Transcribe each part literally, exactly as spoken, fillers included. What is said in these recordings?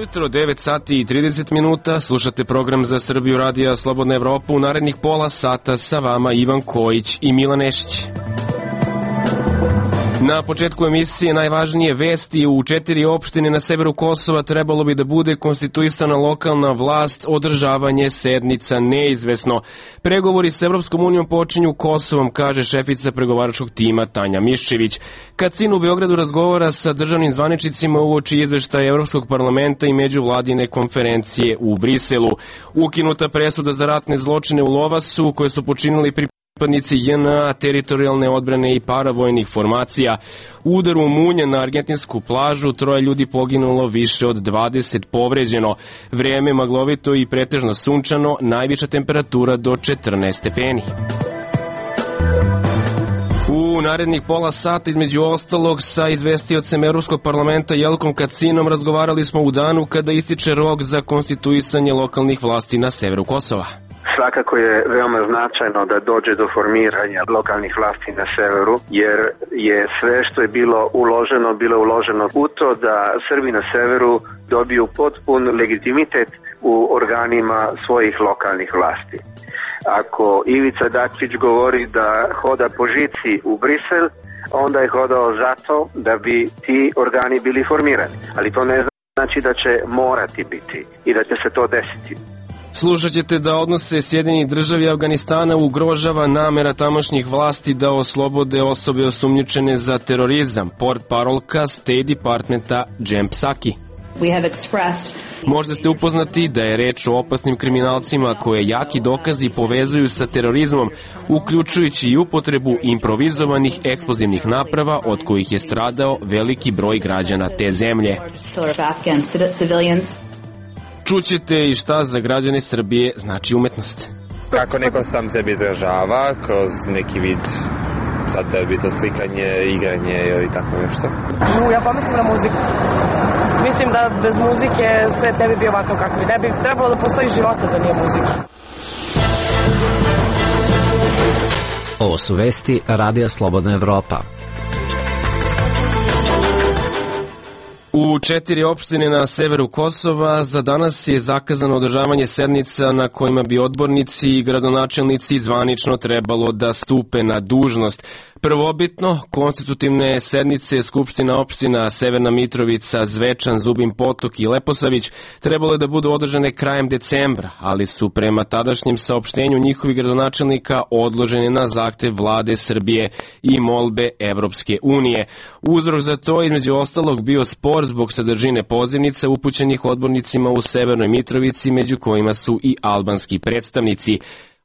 Ujutro, devet sati i trideset minuta, slušate program za Srbiju radija Slobodna Evropa. U narednih pola sata sa vama Ivan Kojić i Milan Nešić. Na početku emisije najvažnije vesti: u četiri opštine na severu Kosova trebalo bi da bude konstituisana lokalna vlast, održavanje sednica neizvesno. Pregovori s Evropskom unijom počinju Kosovom, kaže šefica pregovaračkog tima Tanja Miščević. Kacin u Beogradu razgovara sa državnim zvaničnicima uoči izveštaja Evropskog parlamenta i međuvladine konferencije u Briselu. Ukinuta presuda za ratne zločine u Lovasu koje su počinili pri pripadnici J N A, teritorijalne odbrane i paravojnih formacija. U udaru munje na argentinsku plažu troje ljudi poginulo, više od dvadeset povređeno. Vrijeme maglovito i pretežno sunčano, najviša temperatura do četrnaest stepeni. U narednih pola sata, između ostalog, sa izvestiocem Evropskog parlamenta Jelkom Kacinom razgovarali smo u danu kada ističe rok za konstituisanje lokalnih vlasti na severu Kosova. Svakako je veoma značajno da dođe do formiranja lokalnih vlasti na severu, jer je sve što je bilo uloženo, bilo uloženo u to da Srbi na severu dobiju potpun legitimitet u organima svojih lokalnih vlasti. Ako Ivica Dačić govori da hoda po žici u Brisel, onda je hodao zato da bi ti organi bili formirani. Ali to ne znači da će morati biti i da će se to desiti. Slušat ćete da odnose Sjedinjenih Država i Afganistana ugrožava namera tamošnjih vlasti da oslobode osobe osumnjičene za terorizam, portparolka State Departmenta Jen Psaki. Možda ste upoznati da je reč o opasnim kriminalcima koje jaki dokazi povezuju sa terorizmom, uključujući i upotrebu improvizovanih eksplozivnih naprava od kojih je stradao veliki broj građana te zemlje. Čućete i šta za građane Srbije znači umetnost. Kako neko sam sebi izražava kroz neki vid, sad da bi to slikanje, igranje ili tako nešto. No, ja pomislim na muziku. Mislim da bez muzike svet ne bi bio ovakav kako bi. Ne bi trebalo da postoji života da nije muzike. Ovo su vesti Radija Slobodna Evropa. U četiri opštine na severu Kosova za danas je zakazano održavanje sednica na kojima bi odbornici i gradonačelnici zvanično trebalo da stupe na dužnost. Prvobitno, konstitutivne sednice Skupština opština Severna Mitrovica, Zvečan, Zubin Potok i Leposavić trebalo je da budu održane krajem decembra, ali su prema tadašnjem saopštenju njihovih gradonačelnika odložene na zahtev vlade Srbije i molbe Evropske unije. Uzrok za to između ostalog bio spor zbog sadržine pozivnica upućenih odbornicima u Severnoj Mitrovici, među kojima su i albanski predstavnici.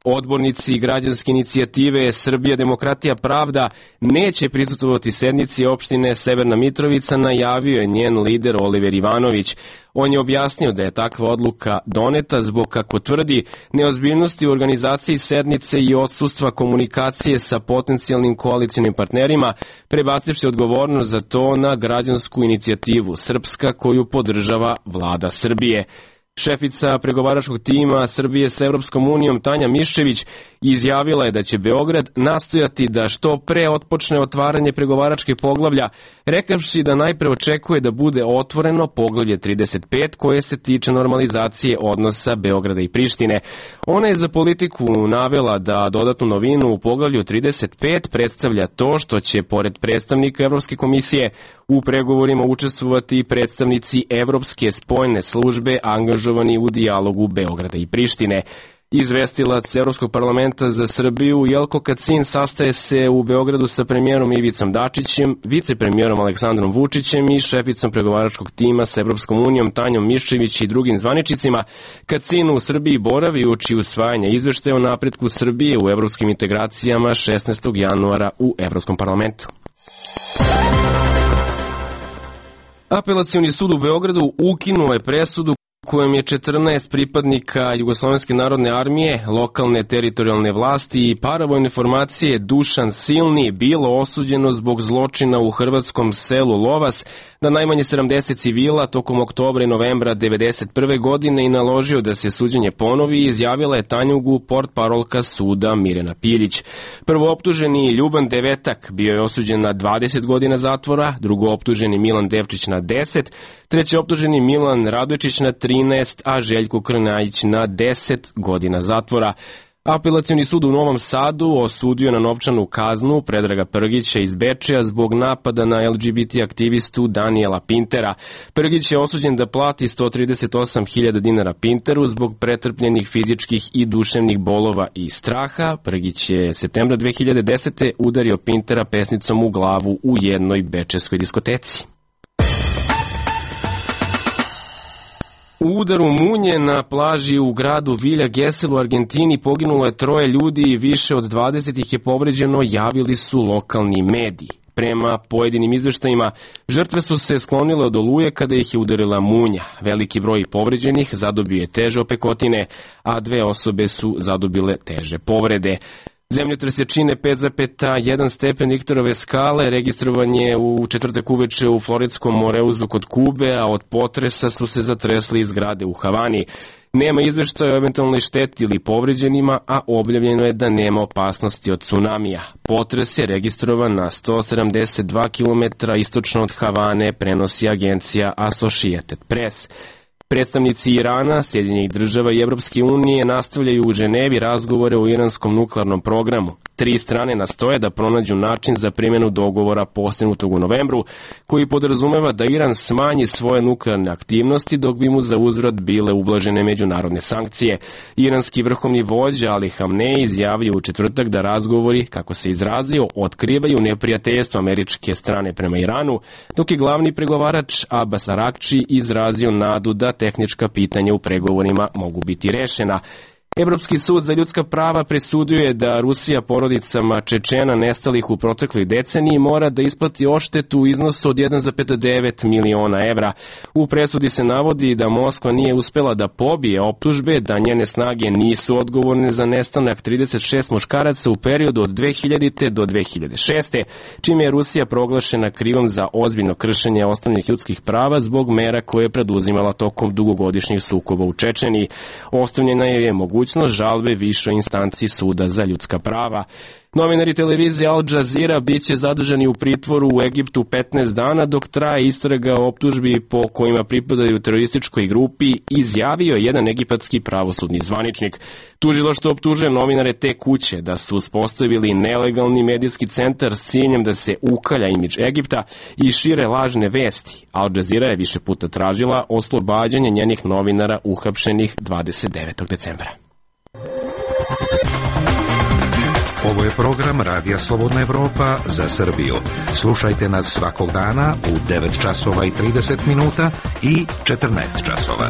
Odbornici građanske inicijative Srbija, demokratija, pravda neće prisutovati sednici opštine Severna Mitrovica, najavio je njen lider Oliver Ivanović. On je objasnio da je takva odluka doneta zbog, kako tvrdi, neozbiljnosti u organizaciji sednice i odsustva komunikacije sa potencijalnim koalicijnim partnerima, prebacivši odgovornost za to na građansku inicijativu Srpska koju podržava vlada Srbije. Šefica pregovaračkog tima Srbije s Evropskom unijom Tanja Miščević izjavila je da će Beograd nastojati da što pre otpočne otvaranje pregovaračke poglavlja, rekavši da najpre očekuje da bude otvoreno poglavlje trideset pet koje se tiče normalizacije odnosa Beograda i Prištine. Ona je za Politiku navela da dodatnu novinu u poglavlju trideset pet predstavlja to što će pored predstavnika Evropske komisije u pregovorima učestvovati i predstavnici Evropske spoljne službe angažovani u dijalogu Beograda i Prištine. Izvestilac Evropskog parlamenta za Srbiju Jelko Kacin sastaje se u Beogradu sa premijerom Ivicom Dačićem, vicepremijerom Aleksandrom Vučićem i šeficom pregovaračkog tima sa Evropskom unijom Tanjom Miščević i drugim zvaničnicima. Kacin u Srbiji boravi uoči usvajanja izveštaja o napretku Srbije u evropskim integracijama šesnaestog januara u Evropskom parlamentu. Apelacioni sud u Beogradu ukinuo je presudu kojem je četrnaest pripadnika Jugoslovenske narodne armije, lokalne teritorijalne vlasti i paravojne formacije Dušan Silni bilo osuđeno zbog zločina u hrvatskom selu Lovas na najmanje sedamdeset civila tokom oktobra i novembra devedeset prve godine i naložio da se suđenje ponovi, izjavila je Tanjugu portparolka suda Mirjana Piljić. Prvooptuženi Ljuban Devetak bio je osuđen na dvadeset godina zatvora, drugooptuženi Milan Devčić na deset, treći optuženi Milan Radojčić na trinaest, a Željko Krnajić na deset godina zatvora. Apelacioni sud u Novom Sadu osudio na novčanu kaznu Predraga Prgića iz Bečeja zbog napada na L G B T aktivistu Danijela Pintera. Prgić je osuđen da plati sto trideset osam hiljada dinara Pinteru zbog pretrpljenih fizičkih i duševnih bolova i straha. Prgić je septembra dve hiljade desete. udario Pintera pesnicom u glavu u jednoj bečejskoj diskoteci. U udaru munje na plaži u gradu Vilja Gesell u Argentini poginulo je troje ljudi i više od dvadeset ih je povređeno, javili su lokalni mediji. Prema pojedinim izveštajima, žrtve su se sklonile od oluje kada ih je udarila munja. Veliki broj povređenih zadobio je teže opekotine, a dve osobe su zadobile teže povrede. Zemljotres jačine pet zarez jedan stepen Richterove skale registrovan je u četvrtak uveče u Floridskom Moreuzu kod Kube, a od potresa su se zatresli i zgrade u Havani. Nema izveštaja o eventualnoj šteti ili povređenima, a objavljeno je da nema opasnosti od tsunamija. Potres je registrovan na sto sedamdeset dva kilometra istočno od Havane, prenosi agencija Associated Press. Predstavnici Irana, Sjedinjenih država i Evropske unije nastavljaju u Ženevi razgovore o iranskom nuklearnom programu. Tri strane nastoje da pronađu način za primjenu dogovora postignutog u novembru, koji podrazumeva da Iran smanji svoje nuklearne aktivnosti dok bi mu za uzvrat bile ublažene međunarodne sankcije. Iranski vrhovni vođa Ali Hamnej izjavio u četvrtak da razgovori, kako se izrazio, otkrivaju neprijateljstvo američke strane prema Iranu, dok je glavni pregovarač Abbas Arakči izrazio nadu da tehnička pitanja u pregovorima mogu biti rešena. Evropski sud za ljudska prava presudio je da Rusija porodicama Čečena nestalih u protekloj deceniji mora da isplati odštetu u iznosu od jedan zarez devet miliona evra. U presudi se navodi da Moskva nije uspela da pobije optužbe da njene snage nisu odgovorne za nestanak trideset šest muškaraca u periodu od dve hiljadite do dve hiljade šeste. čime je Rusija proglašena krivom za ozbiljno kršenje osnovnih ljudskih prava zbog mera koje je preduzimala tokom dugogodišnjih sukoba u Čečeniji. Ostavljena je mogućnost žalbe višoj instanciji suda za ljudska prava. Novinari televizije Al Jazeera biće zadržani u pritvoru u Egiptu petnaest dana dok traje istraga o optužbi po kojima pripadaju terorističkoj grupi, izjavio jedan egipatski pravosudni zvaničnik. Tužilaštvo optužuje novinare te kuće da su uspostavili nelegalni medijski centar s ciljem da se ukalja imidž Egipta i šire lažne vesti. Al Jazeera je više puta tražila oslobađanje njenih novinara uhapšenih dvadeset devetog decembra. Ovo je program Radija Slobodna Evropa za Srbiju. Slušajte nas svakog dana u devet časova i trideset minuta i četrnaest časova.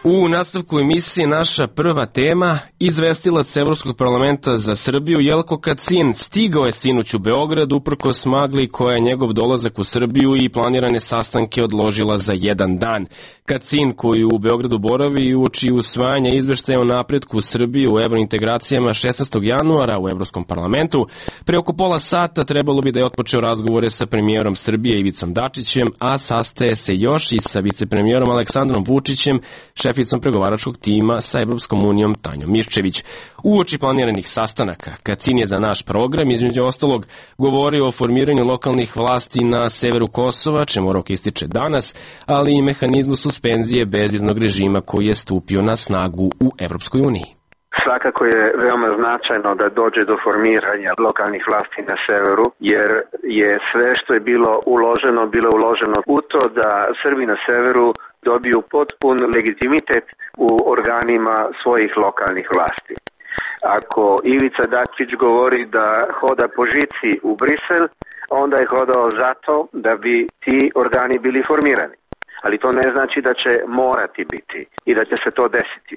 U nastavku emisije naša prva tema, izvestilac Evropskog parlamenta za Srbiju Jelko Kacin stigao je sinoć u Beograd uprkos magli koja je njegov dolazak u Srbiju i planirane sastanke odložila za jedan dan. Kacin, koji u Beogradu boravi i uoči usvajanja izveštaja o napretku Srbije u evrointegracijama šesnaestog januara u Evropskom parlamentu, pre oko pola sata trebalo bi da je otpočeo razgovore sa premijerom Srbije Ivicom Dačićem, a sastaje se još i sa vicepremijerom Aleksandrom Vučićem, šeficom pregovaračkog tima sa Evropskom unijom Tanjom Miščević. Uoči planiranih sastanaka, Kacin je za naš program, između ostalog, govorio o formiranju lokalnih vlasti na severu Kosova, čemu rok ističe danas, ali i mehanizmu suspenzije bezviznog režima koji je stupio na snagu u Evropskoj uniji. Svakako je veoma značajno da dođe do formiranja lokalnih vlasti na severu, jer je sve što je bilo uloženo, bilo uloženo u to da Srbi na severu dobiju potpun legitimitet u organima svojih lokalnih vlasti. Ako Ivica Dačić govori da hoda po žici u Brisel, onda je hodao zato da bi ti organi bili formirani. Ali to ne znači da će morati biti i da će se to desiti.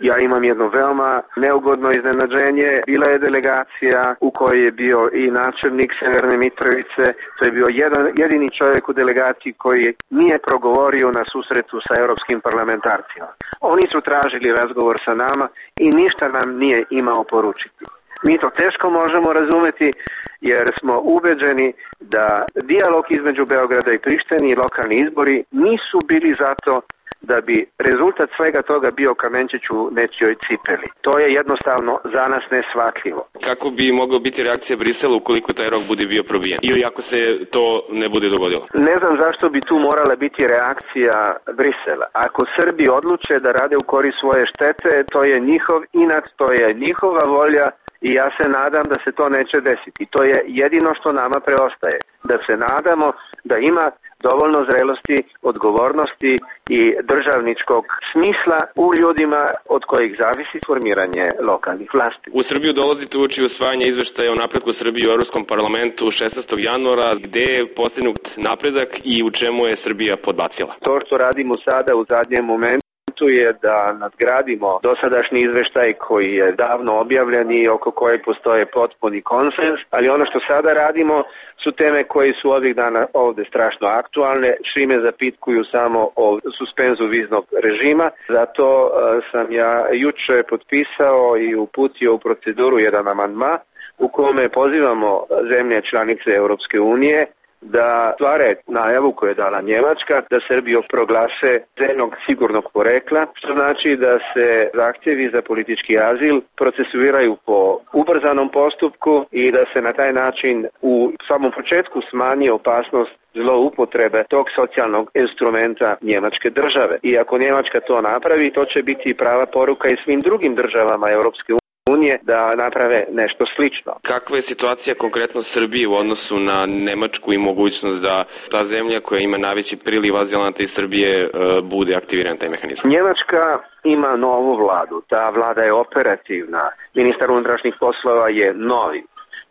Ja imam jedno veoma neugodno iznenađenje. Bila je delegacija u kojoj je bio i načelnik Severne Mitrovice. To je bio jedan, jedini čovjek u delegaciji koji nije progovorio na susretu sa europskim parlamentarcima. Oni su tražili razgovor sa nama i ništa nam nije imao poručiti. Mi to teško možemo razumeti jer smo ubeđeni da dijalog između Beograda i Prištine i lokalni izbori nisu bili zato da bi rezultat svega toga bio kamenčić u nečijoj cipeli. To je jednostavno za nas neshvatljivo. Kako bi mogla biti reakcija Brisela ukoliko taj rok bude bio probijen ili ako se to ne bude dogodilo? Ne znam zašto bi tu morala biti reakcija Brisela. Ako Srbi odluče da rade u korist svoje štete, to je njihov inat, to je njihova volja i ja se nadam da se to neće desiti. To je jedino što nama preostaje. Da se nadamo da ima dovoljno zrelosti, odgovornosti i državničkog smisla u ljudima od kojih zavisi formiranje lokalnih vlasti. U Srbiju dolazite uoči usvajanja izveštaja o napretku Srbije u Evropskom parlamentu šesnaestog januara. Gde je postignut napredak i u čemu je Srbija podbacila? To što radimo sada u zadnjem momentu je da nadgradimo dosadašnji izveštaj koji je davno objavljen i oko kojeg postoje potpuni konsens, ali ono što sada radimo su teme koje su ovih dana ovde strašno aktualne, čime zapitkuju samo o suspenzu viznog režima. Zato uh, sam ja juče potpisao i uputio u proceduru jedan amandman u kome pozivamo zemlje članice Europske unije da stvare najavu koju je dala Njemačka da Srbiju proglase zemljom sigurnog porekla, što znači da se zahtjevi za politički azil procesuiraju po ubrzanom postupku i da se na taj način u samom početku smanji opasnost zloupotrebe tog socijalnog instrumenta njemačke države. I ako Njemačka to napravi, to će biti prava poruka i svim drugim državama Europske unije unije da naprave nešto slično. Kakva je situacija konkretno Srbije u odnosu na Nemačku i mogućnost da ta zemlja koja ima najveći priliv azilanata iz Srbije bude aktiviran taj mehanizam? Njemačka ima novu vladu. Ta vlada je operativna. Ministar unutrašnjih poslova je novi.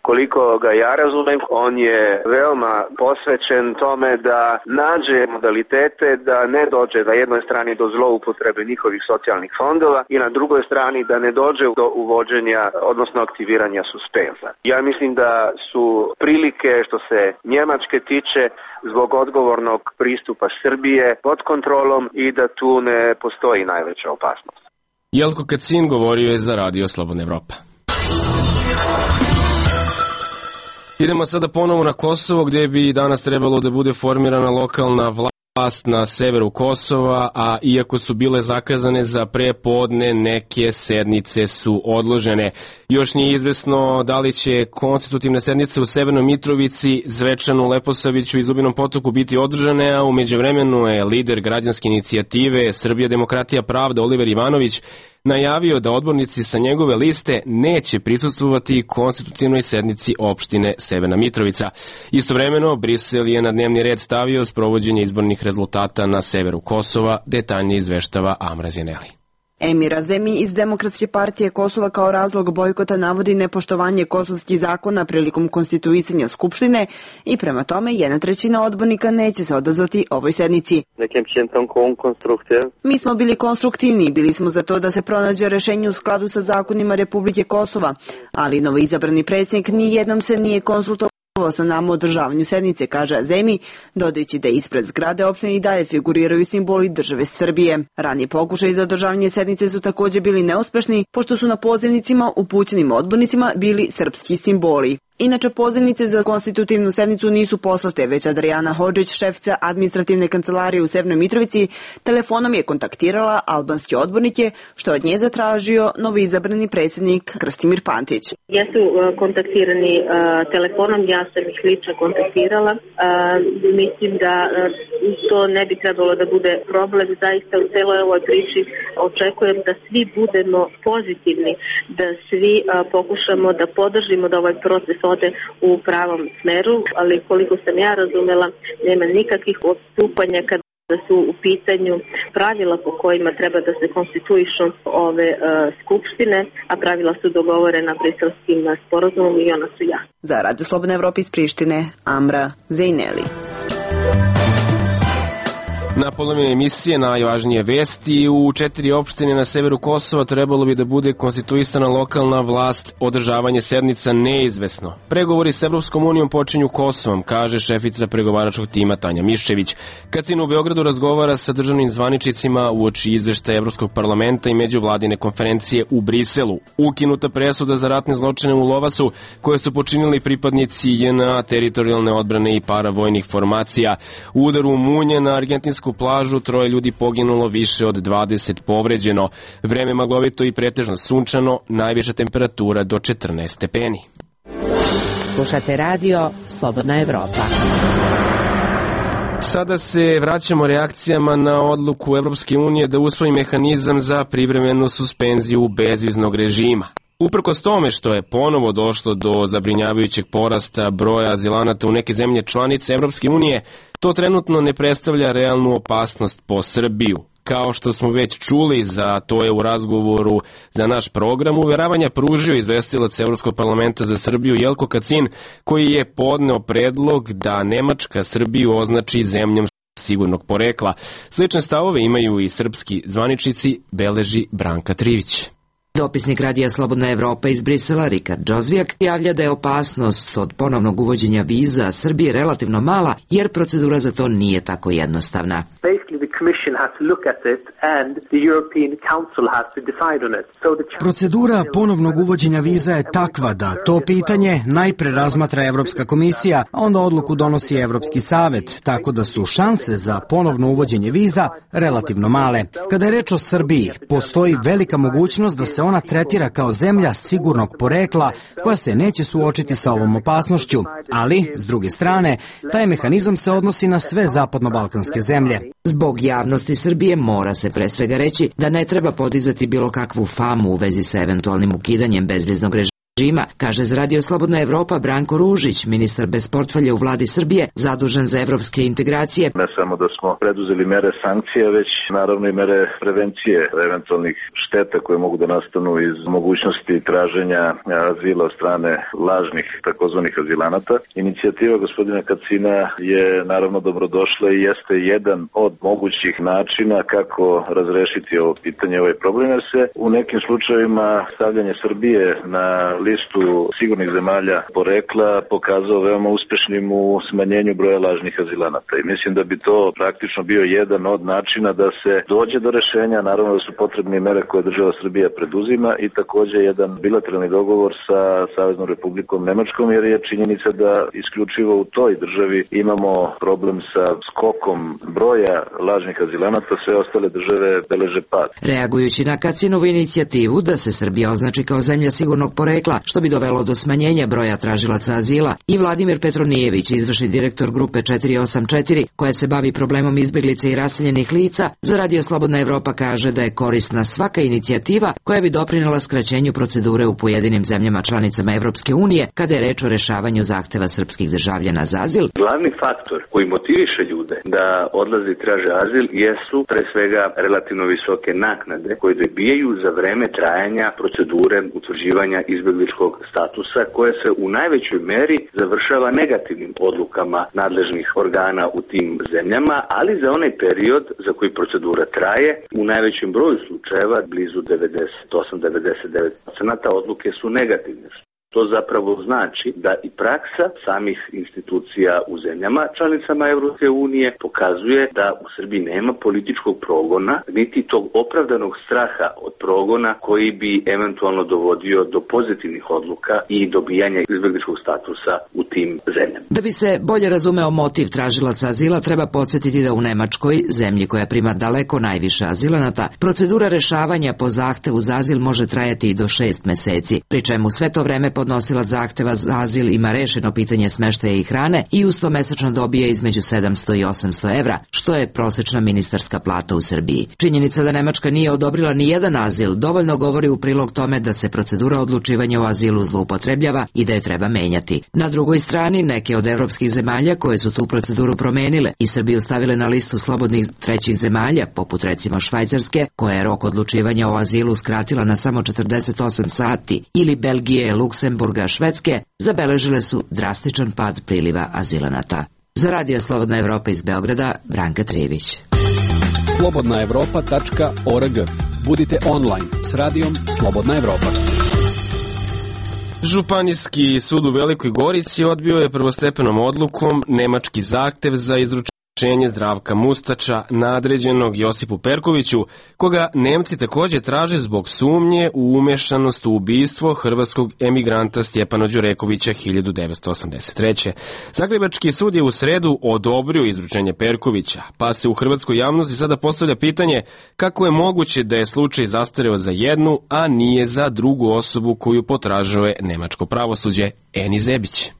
Koliko ga ja razumem, on je veoma posvećen tome da nađe modalitete da ne dođe na jednoj strani do zloupotrebe njihovih socijalnih fondova i na drugoj strani da ne dođe do uvođenja, odnosno aktiviranja suspenza. Ja mislim da su prilike što se Njemačke tiče zbog odgovornog pristupa Srbije pod kontrolom i da tu ne postoji najveća opasnost. Jelko Kacin govorio je za Radio Slobodna Evropa. Idemo sada ponovo na Kosovo, gdje bi danas trebalo da bude formirana lokalna vlast na severu Kosova, a iako su bile zakazane za prepodne, neke sednice su odložene. Još nije izvesno da li će konstitutivne sednice u Severnoj Mitrovici, Zvečanu, Leposaviću i Zubinom Potoku biti održane, a u međuvremenu je lider građanske inicijative Srbija, demokratija, pravda Oliver Ivanović najavio da odbornici sa njegove liste neće prisustvovati konstitutivnoj sednici opštine Severna Mitrovica. Istovremeno, Brisel je na dnevni red stavio sprovođenje izbornih rezultata na severu Kosova, detaljnije izveštava Amra Zineli. Emir Azemi iz Demokratske partije Kosova kao razlog bojkota navodi nepoštovanje kosovskih zakona prilikom konstituisanja Skupštine i prema tome jedna trećina odbornika neće se odazvati ovoj sednici. Mi smo bili konstruktivni, bili smo za to da se pronađe rešenje u skladu sa zakonima Republike Kosova, ali novoizabrani predsjednik nijednom se nije konsultovao sa nama o održavanju sednice, kaže Azemi, dodajući da ispred zgrade opštine i dalje figuriraju simboli države Srbije. Ranije pokušaji za održavanje sednice su također bili neuspešni, pošto su na pozivnicima upućenim odbornicima bili srpski simboli. Inače, pozivnice za konstitutivnu sednicu nisu poslate, već Adriana Hodžić, šefica administrativne kancelarije u Severnoj Mitrovici, telefonom je kontaktirala albanske odbornike, što od nje zatražio novoizabrani predsjednik Krstimir Pantić. Jesu kontaktirani uh, telefonom, ja sam ih lično kontaktirala. Uh, mislim da uh, to ne bi trebalo da bude problem. Zaista u celoj ovoj priči očekujem da svi budemo pozitivni, da svi uh, pokušamo da podržimo da ovaj proces ode u pravom smeru, ali koliko sam ja razumela, nema nikakvih odstupanja kada su u pitanju pravila po kojima treba da se konstituišu ove uh, skupštine, a pravila su dogovorena briselskim sporazumom i ona su ja. Za Radio Slobodna Evropa iz Prištine, Amra Zejneli. Na polovini emisije najvažnije vesti. U četiri opštine na severu Kosova trebalo bi da bude konstituisana lokalna vlast. Održavanje sednica neizvesno. Pregovori s Evropskom unijom počinju Kosovom, kaže šefica pregovaračkog tima Tanja Miščević. Kacin u Beogradu razgovara sa državnim zvaničnicima uoči izveštaja Evropskog parlamenta i međuvladine konferencije u Briselu. Ukinuta presuda za ratne zločine u Lovasu koje su počinili pripadnici J N A, teritorijalne odbrane i paravojnih formacija. U udaru u Munje na argentinsku plažu troje ljudi poginulo, više od dvadeset povređeno. Vreme maglovito i pretežno sunčano, najviša temperatura do četrnaest stepeni. Slušate radio Slobodna Evropa. Sada se vraćamo reakcijama na odluku Evropske unije da usvoji mehanizam za privremenu suspenziju bezviznog režima. Uprkos tome što je ponovo došlo do zabrinjavajućeg porasta broja azilanata u neke zemlje članice Evropske unije, to trenutno ne predstavlja realnu opasnost po Srbiju. Kao što smo već čuli, za to je u razgovoru za naš program uveravanja pružio izvestilac Evropskog parlamenta za Srbiju Jelko Kacin, koji je podneo predlog da Nemačka Srbiju označi zemljom sigurnog porekla. Slične stavove imaju i srpski zvaničnici, beleži Branka Trivić. Dopisnik Radija Slobodna Evropa iz Brisela, Rikard Džozvijak, javlja da je opasnost od ponovnog uvođenja viza Srbije relativno mala, jer procedura za to nije tako jednostavna. Procedura ponovnog uvođenja viza je takva da to pitanje najpre razmatra Evropska komisija, a onda odluku donosi Evropski savet, tako da su šanse za ponovno uvođenje viza relativno male. Kada je reč o Srbiji, postoji velika mogućnost da se ona tretira kao zemlja sigurnog porekla koja se neće suočiti sa ovom opasnošću, ali, s druge strane, taj mehanizam se odnosi na sve zapadno-balkanske zemlje. Zbog javnosti Srbije mora se pre svega reći da ne treba podizati bilo kakvu famu u vezi sa eventualnim ukidanjem bezviznog režima, kaže za Radio Slobodna Evropa Branko Ružić, ministar bez portfelja u vladi Srbije, zadužen za evropske integracije. Ne samo da smo preduzeli mere sankcije, već naravno i mere prevencije eventualnih šteta koje mogu da nastanu iz mogućnosti traženja azila od strane lažnih takozvanih azilanata. Inicijativa gospodina Kacina je naravno dobrodošla i jeste jedan od mogućih načina kako razrešiti ovo pitanje, ovaj problem, jer se u nekim slučajevima stavljanje Srbije na listu sigurnih zemalja porekla pokazao veoma uspešnim u smanjenju broja lažnih azilanata. I mislim da bi to praktično bio jedan od načina da se dođe do rešenja, naravno da su potrebne mere koje država Srbija preduzima i takođe jedan bilateralni dogovor sa Saveznom Republikom Nemačkom, jer je činjenica da isključivo u toj državi imamo problem sa skokom broja lažnih azilanata, sve ostale države beleže pad. Reagujući na Kacinovu inicijativu da se Srbija označi kao zemlja sigurnog porekla, što bi dovelo do smanjenja broja tražilaca azila, i Vladimir Petronijević, izvršni direktor grupe četiri osam četiri, koja se bavi problemom izbeglica i raseljenih lica, za Radio Slobodna Evropa kaže da je korisna svaka inicijativa koja bi doprinela skraćenju procedure u pojedinim zemljama članicama Evropske unije kada je reč o rešavanju zahteva srpskih državljana za azil. Glavni faktor koji motiviše ljude da odlaze i traže azil jesu pre svega relativno visoke naknade koje dobijaju za vreme trajanja procedure utvrđivanja izbegličkog statusa, koje se u najvećoj meri završava negativnim odlukama nadležnih organa u tim zemljama, ali za onaj period za koji procedura traje, u najvećem broju slučajeva, blizu devedeset osam do devedeset devet posto odluke su negativne. To zapravo znači da i praksa samih institucija u zemljama članicama Evropske unije pokazuje da u Srbiji nema političkog progona, niti tog opravdanog straha od progona koji bi eventualno dovodio do pozitivnih odluka i dobijanja izbegličkog statusa u tim zemljama. Da bi se bolje razumeo motiv tražilaca azila, treba podsjetiti da u Nemačkoj, zemlji koja prima daleko najviše azilanata, procedura rešavanja po zahtevu za azil može trajati i do šest meseci, pri čemu sve to vreme podnosilac zahteva za azil ima rešeno pitanje smeštaja i hrane i uz to mesečno dobije između sedamsto i osamsto evra, što je prosečna ministarska plata u Srbiji. Činjenica da Nemačka nije odobrila ni jedan azil dovoljno govori u prilog tome da se procedura odlučivanja o azilu zloupotrebljava i da je treba menjati. Na drugoj strani, neke od evropskih zemalja koje su tu proceduru promenile i Srbiju stavile na listu slobodnih trećih zemalja, poput recimo Švajcarske, koja je rok odlučivanja o azilu skratila na samo četrdeset osam sati, ili Belgije, Luksemburga, Švedske, zabeležile su drastičan pad priliva azilanata. Za Radio Slobodna Evropa iz Beograda, Branka Trivić. slobodna evropa tačka org. Budite online s radijom Slobodna Evropa. Županijski sud u Velikoj Gorici odbio je prvostepenom odlukom nemački zahtev za izručenje Zdravka Mustača, nadređenog Josipu Perkoviću, koga Nemci također traže zbog sumnje u umešanost u ubistvo hrvatskog emigranta Stjepana Đurekovića hiljadu devetsto osamdeset treće. Zagrebački sud je u sredu odobrio izručenje Perkovića, pa se u hrvatskoj javnosti sada postavlja pitanje kako je moguće da je slučaj zastareo za jednu, a nije za drugu osobu koju potražuje nemačko pravosuđe. Eni Zebić.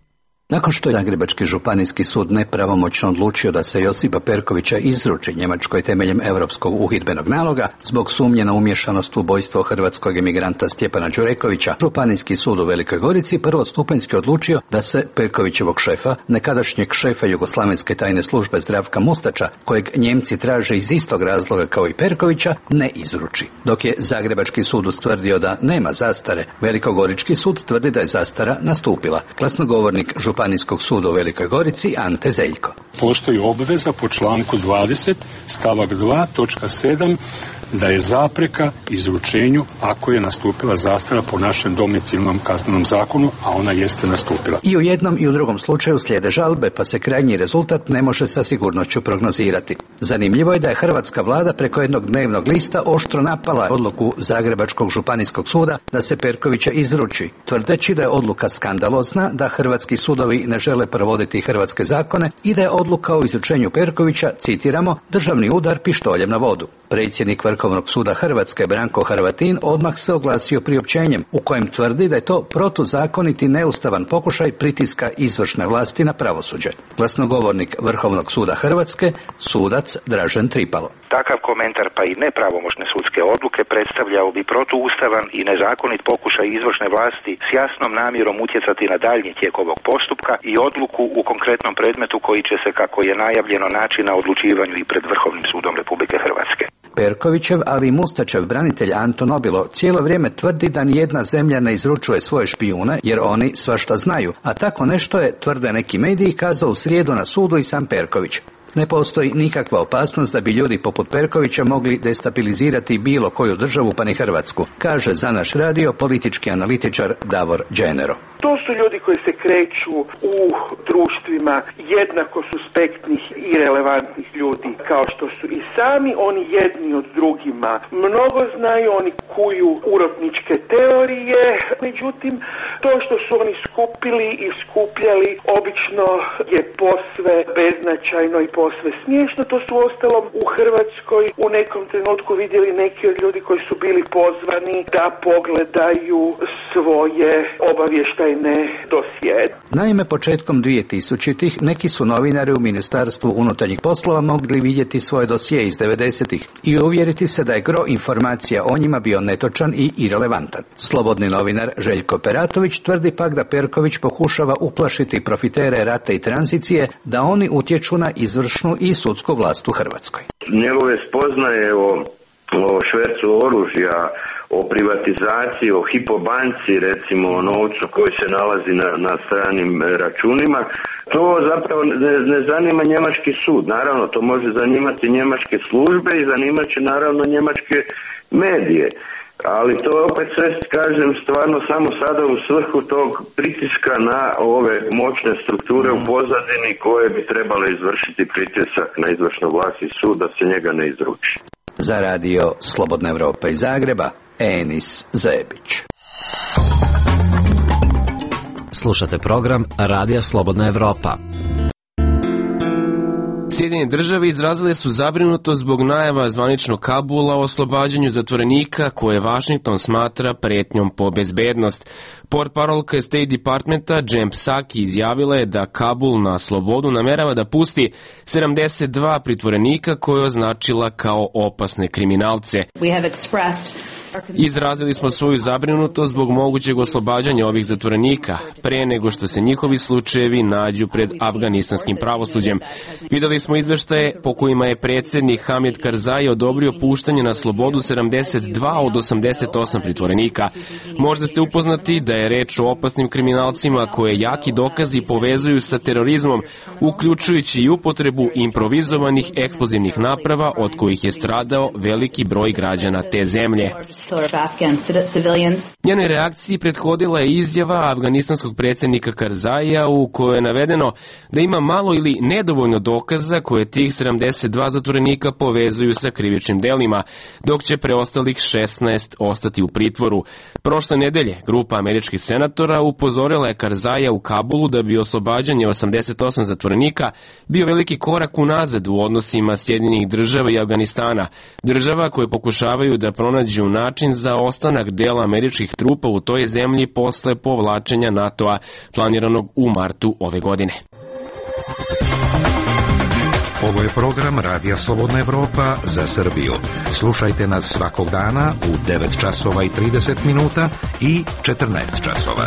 Nakon što je Zagrebački županijski sud nepravomoćno odlučio da se Josipa Perkovića izruči Njemačkoj temeljem europskog uhidbenog naloga zbog sumnje na umješanost u ubojstvo hrvatskog emigranta Stjepana Đurekovića, Županijski sud u Velikoj Gorici prvostupanjski odlučio da se Perkovićevog šefa, nekadašnjeg šefa jugoslavenske tajne službe Zdravka Mustača, kojeg Njemci traže iz istog razloga kao i Perkovića, ne izruči. Dok je Zagrebački sud ustvrdio da nema zastare, Velikogorički sud tvrdi da je zastara nastupila. Glasnogovornik Županijskog suda u Velikoj Gorici Ante Zeljko. Postoji obveza po članku dvadeset stavak dva točka sedam da je zapreka izručenju ako je nastupila zastara po našem domicilnom kaznenom zakonu, a ona jeste nastupila. I u jednom i u drugom slučaju slijede žalbe, pa se krajnji rezultat ne može sa sigurnošću prognozirati. Zanimljivo je da je hrvatska vlada preko jednog dnevnog lista oštro napala odluku Zagrebačkog županijskog suda da se Perkovića izruči, tvrdeći da je odluka skandalozna, da hrvatski sudovi ne žele provoditi hrvatske zakone i da je odluka o izručenju Perkovića, citiramo, državni udar pištoljem na vodu. Predsjednik Vrhovnog suda Hrvatske Branko Hrvatin odmah se oglasio priopćenjem u kojem tvrdi da je to protuzakonit i neustavan pokušaj pritiska izvršne vlasti na pravosuđe. Glasnogovornik Vrhovnog suda Hrvatske, sudac Dražen Tripalo. Takav komentar pa i nepravomoćne sudske odluke predstavljao bi protuustavan i nezakonit pokušaj izvršne vlasti s jasnom namjerom utjecati na daljnji tijek ovog postupka i odluku u konkretnom predmetu koji će se, kako je najavljeno, naći na odlučivanju i pred Vrhovnim sudom Republike Hrvatske. Perkovićev, ali i Mustačev branitelj Anto Nobilo cijelo vrijeme tvrdi da nijedna zemlja ne izručuje svoje špijune jer oni svašta znaju, a tako nešto je, tvrde neki mediji, kazao u srijedu na sudu i sam Perković. Ne postoji nikakva opasnost da bi ljudi poput Perkovića mogli destabilizirati bilo koju državu, pa ni Hrvatsku, kaže za naš radio politički analitičar Davor Đenero. To su ljudi koji se kreću u društvima jednako suspektnih i relevantnih ljudi, kao što su i sami oni jedni od drugima. Mnogo znaju, oni kuju urotničke teorije, međutim, to što su oni skupili i skupljali obično je posve beznačajno i posve smiješno. To su ostalom u Hrvatskoj u nekom trenutku vidjeli neki od ljudi koji su bili pozvani da pogledaju svoje obavještajne dosije. Naime, početkom dvije-tisućitih neki su novinari u Ministarstvu unutarnjih poslova mogli vidjeti svoje dosije iz devedesetih i uvjeriti se da je gro informacija o njima bio netočan i irelevantan. Slobodni novinar Željko Peratović tvrdi pak da Perković pokušava uplašiti profitere rata i tranzicije da oni utječu na izvršnu i sudsku vlast u Hrvatskoj. Njegove spoznaje o, o švercu oružja, o privatizaciji, o Hypo banci, recimo o novcu koji se nalazi na, na stranim računima, to zapravo ne, ne zanima njemački sud. Naravno, to može zanimati njemačke službe i zanimat će naravno njemačke medije. Ali to opet sve, kažem, stvarno samo sada u svrhu tog pritiska na ove moćne strukture u pozadini koje bi trebale izvršiti pritisak na izvršnu vlast i sud da se njega ne izruči. Za radio Slobodna Evropa iz Zagreba, Enis Zebić. Slušate program Radija Slobodna Evropa. Sjedinjene države izrazile su zabrinutost zbog najava zvaničnog Kabula o oslobađanju zatvorenika koje Washington smatra pretnjom po bezbednost. Portparolka State Departmenta Jen Psaki izjavila je da Kabul na slobodu namerava da pusti sedamdeset dva pritvorenika koje je označila kao opasne kriminalce. Izrazili smo svoju zabrinutost zbog mogućeg oslobađanja ovih zatvorenika, pre nego što se njihovi slučajevi nađu pred afganistanskim pravosuđem. Videli smo izveštaje po kojima je predsjednik Hamid Karzai odobrio puštanje na slobodu sedamdeset dva od osamdeset osam pritvorenika. Možda ste upoznati da je reč o opasnim kriminalcima koje jaki dokazi povezuju sa terorizmom, uključujući i upotrebu improvizovanih eksplozivnih naprava od kojih je stradao veliki broj građana te zemlje. Njenoj reakciji prethodila je izjava afganistanskog predsjednika Karzaija u kojoj je navedeno da ima malo ili nedovoljno dokaza koje tih sedamdeset dva zatvorenika povezuju sa krivičnim delima, dok će preostalih šesnaest ostati u pritvoru. Prošle nedelje grupa američkih senatora upozorila je Karzaija u Kabulu da bi oslobađanje osamdeset osam zatvorenika bio veliki korak unazad u odnosima Sjedinjenih država i Afganistana, država koje pokušavaju da pronađu način za ostanak dela američkih trupa u toj zemlji posle povlačenja NATO-a planiranog u martu ove godine. Ovo je program Radija Slobodna Evropa za Srbiju. Slušajte nas svakog dana u devet časova i trideset minuta i četrnaest časova.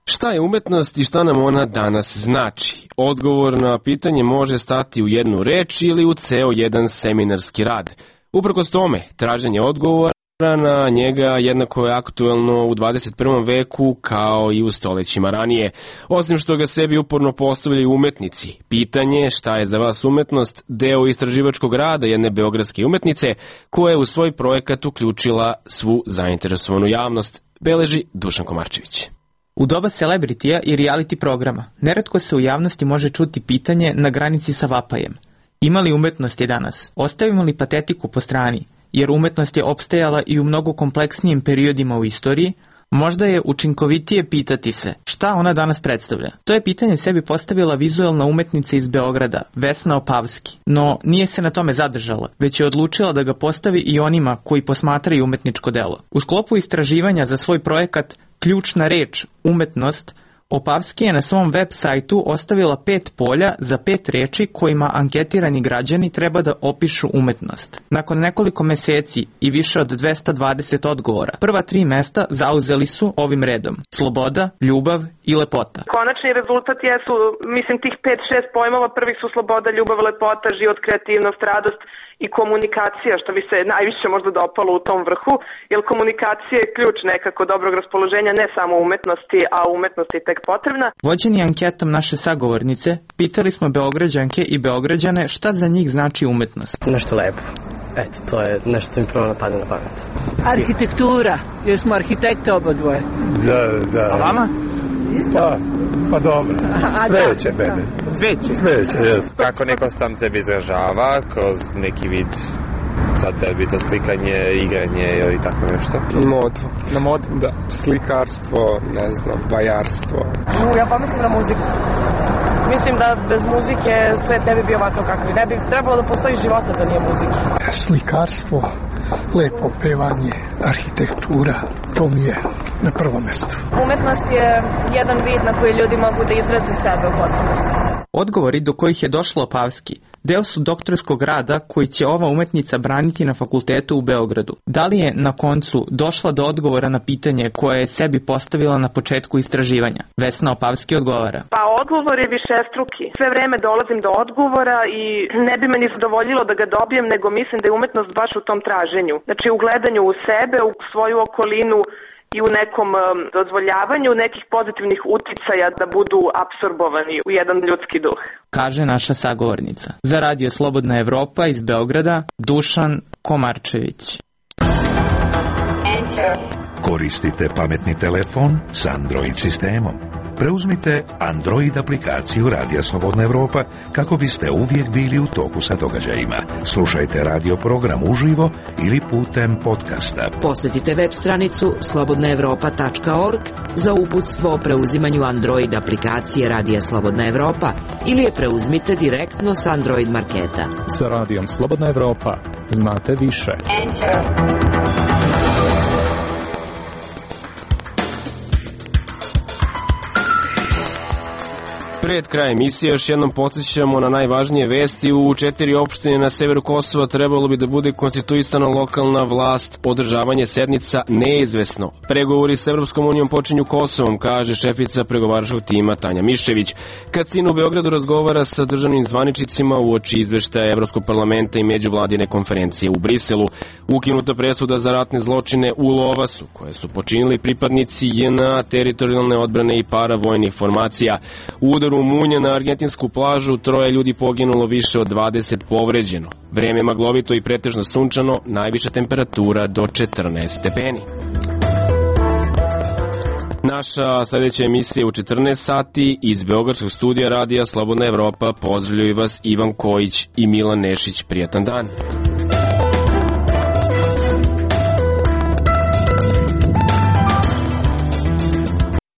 Šta je umetnost i šta nam ona danas znači? Odgovor na pitanje može stati u jednu reč ili u ceo jedan seminarski rad. Uprkos tome, traženje odgovora na njega jednako je aktuelno u dvadeset prvom veku kao i u stolećima ranije. Osim što ga sebi uporno postavljaju umetnici, pitanje šta je za vas umetnost deo istraživačkog rada jedne beogradske umetnice koja je u svoj projekat uključila svu zainteresovanu javnost, beleži Dušan Komarčević. U doba celebritija i reality programa neretko se u javnosti može čuti pitanje na granici sa vapajem. Ima li umetnosti danas? Ostavimo li patetiku po strani? Jer umetnost je opstajala i u mnogo kompleksnijim periodima u istoriji, možda je učinkovitije pitati se šta ona danas predstavlja. To je pitanje sebi postavila vizualna umetnica iz Beograda, Vesna Opavski, no nije se na tome zadržala, već je odlučila da ga postavi i onima koji posmatraju umetničko delo. U sklopu istraživanja za svoj projekat Ključna reč, umetnost, Opavski je na svom web sajtu ostavila pet polja za pet reči kojima anketirani građani treba da opišu umetnost. Nakon nekoliko meseci i više od dvesta dvadeset odgovora, prva tri mesta zauzeli su ovim redom: sloboda, ljubav i lepota. Konačni rezultat jesu, mislim, tih pet šest pojmova. Prvi su sloboda, ljubav, lepota, život, kreativnost, radost i komunikacija, što bi se najviše možda dopalo u tom vrhu, jer komunikacija je ključ nekako dobrog raspoloženja, ne samo umetnosti, a umetnosti je tek potrebna. Vođeni anketom naše sagovornice, pitali smo Beograđanke i Beograđane šta za njih znači umetnost. Nešto lepo. Eto, to je nešto mi prvo napada na pamet. Arhitektura, jer smo arhitekte oba dvoje. Da, da. A vama? Pa, pa dobro. Sveće mene. Sveće? Sveće, jes. Kako neko sam sebi izražava kroz neki vid, sad da bi to slikanje, igranje ili tako nešto. Modu. Na modu? Da. Slikarstvo, ne znam, bajarstvo. U, ja pomislim na muziku. Mislim da bez muzike svet ne bi bio ovakav kakav. Ne bi trebalo da postoji života da nije muzike. Slikarstvo, lepo pevanje, arhitektura, to mi je na prvom mestu. Umetnost je jedan vid na koji ljudi mogu da izraze sebe u potpunosti. Odgovori do kojih je došla Opavski deo su doktorskog rada koji će ova umetnica braniti na fakultetu u Beogradu. Da li je na koncu došla do odgovora na pitanje koje je sebi postavila na početku istraživanja? Vesna Opavski odgovara. Pa odgovor je višestruki. Sve vreme dolazim do odgovora i ne bi me ni zadovoljilo da ga dobijem, nego mislim da je umetnost baš u tom traženju. Znači u gledanju u sebe, u svoju okolinu i u nekom um, dozvoljavanju nekih pozitivnih uticaja da budu apsorbovani u jedan ljudski duh. Kaže naša sagovornica. Za Radio Slobodna Evropa iz Beograda, Dušan Komarčević. Koristite pametni telefon s Android sistemom. Preuzmite Android aplikaciju Radija Slobodna Evropa kako biste uvijek bili u toku sa događajima. Slušajte radio program uživo ili putem podcasta. Posjetite web stranicu slobodna evropa tačka org za uputstvo o preuzimanju Android aplikacije Radija Slobodna Evropa ili je preuzmite direktno s Android marketa. Sa Radijom Slobodna Evropa znate više. Enter. Pred kraj emisije još jednom podsjećamo na najvažnije vesti. U četiri opštine na severu Kosova trebalo bi da bude konstituisana lokalna vlast. Održavanje sednica neizvesno. Pregovori s Evropskom unijom počinju Kosovom, kaže šefica pregovaračkog tima Tanja Miščević. Kacin u Beogradu razgovara sa državnim zvaničnicima uoči izveštaja Evropskog parlamenta i međuvladine konferencije u Briselu. Ukinuta presuda za ratne zločine u Lovasu, koje su počinili pripadnici J N A, teritorijalne odbrane i paravojnih formacija. U udaru munja na argentinsku plažu troje ljudi poginulo, više od dvadeset povređeno. Vreme maglovito i pretežno sunčano, najviša temperatura do četrnaest stepeni. Naša sljedeća emisija je u četrnaest sati. Iz Beogradskog studija radija Slobodna Evropa pozdravljaju vas Ivan Kojić i Milan Nešić. Prijatan dan.